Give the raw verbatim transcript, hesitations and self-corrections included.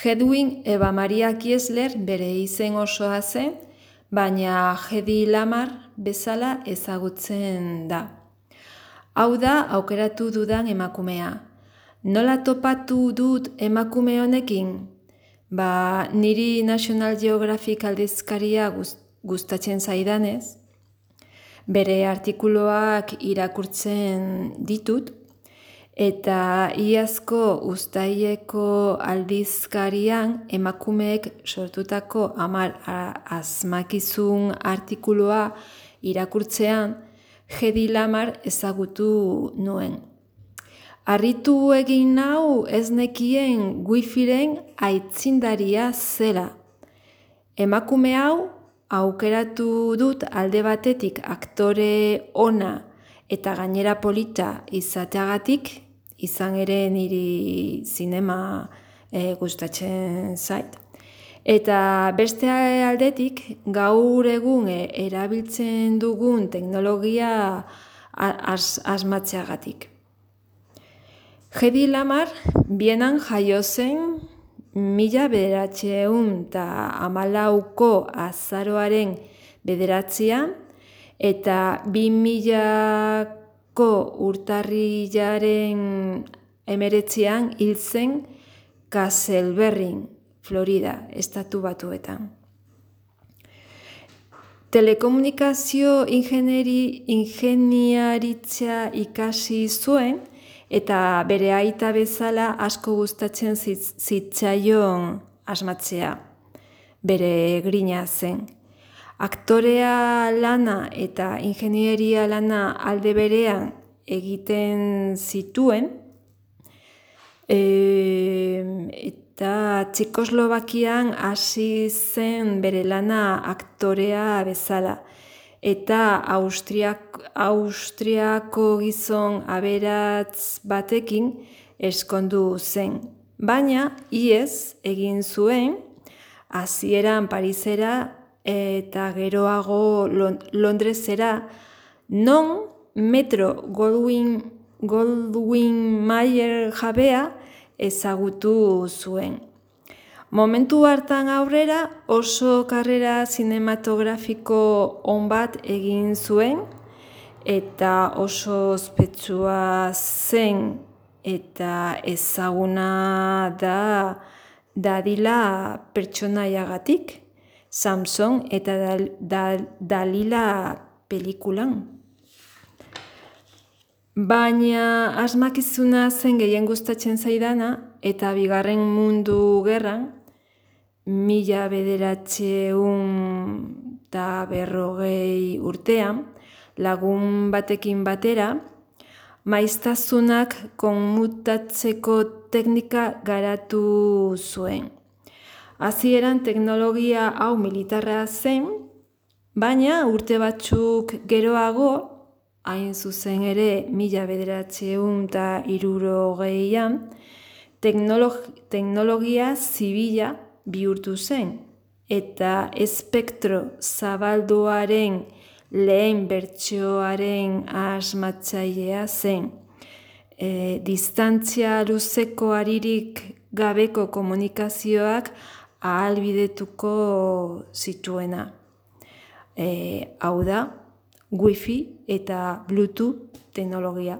Hedwig Eva Maria Kiesler bere izen osoa zen, baina Hedy Lamarr bezala ezagutzen da. Hau da aukeratu dudan emakumea. Nola topatu dut emakume honekin? Ba, niri National Geographic aldizkaria gustatzen zaidanez, bere artikuluak irakurtzen ditut, eta iazko uztaileko aldizkarian emakumeek sortutako hamar asmakizun artikulua irakurtzean Hedy Lamarr ezagutu nuen. Harritu egin nau ez nekien wifiren aitzindaria zela. Emakume hau aukeratu dut alde batetik aktore ona eta gainera polita izateagatik, izan ere niri zinema e, gustatzen zait. Eta beste aldetik gaur egun erabiltzen dugun teknologia as, asmatzeagatik. Hedy Lamarr Bienan jaio zen mila bederatziehun eta hamalauko azaroaren bederatzian eta bi milako urtarrilaren hemeretzian hil zen Castleberryn, Florida, estatu batuetan. Telekomunikazio ingenieri, ingeniaritza ikasi zuen eta bere aita bezala asko gustatzen zitzaion asmatzea. Bere grina zen. Aktorea lana eta ingenieria lana alde berean egiten zituen, e, eta Txekoslovakian hasi zen bere lana aktorea bezala, eta Austriak, Austriako gizon aberats batekin eskondu zen. Baina ihes egin zuen, hasieran Parisera eta geroago Londresera, non Metro Goldwyn, Goldwyn Mayer jabea ezagutu zuen. Momentu hartan aurrera oso karrera zinematografiko on bat egin zuen eta oso ospetsua zen eta ezaguna da dadila pertsonaiagatik, Samson eta Dal, Dal, Dalila pelikulan. Baina asmakizuna zen gehien gustatzen zaidana eta bigarren mundu gerran, mila bederatziehun eta berrogei urtean, lagun batekin batera, maiztasunak konmutatzeko teknika garatu zuen. Hasieran teknologia hau militarra zen, baina urte batzuk geroago, hain zuzen ere mila bederatziehun eta hirurogeian, teknologia zibila bihurtu zen, eta espektro zabalduaren lehen bertsioaren asmatzailea zen. E, distantzia luzeko haririk gabeko komunikazioak ahalbidetuko zituena. E, hau da, Wi-Fi eta Bluetooth teknologia.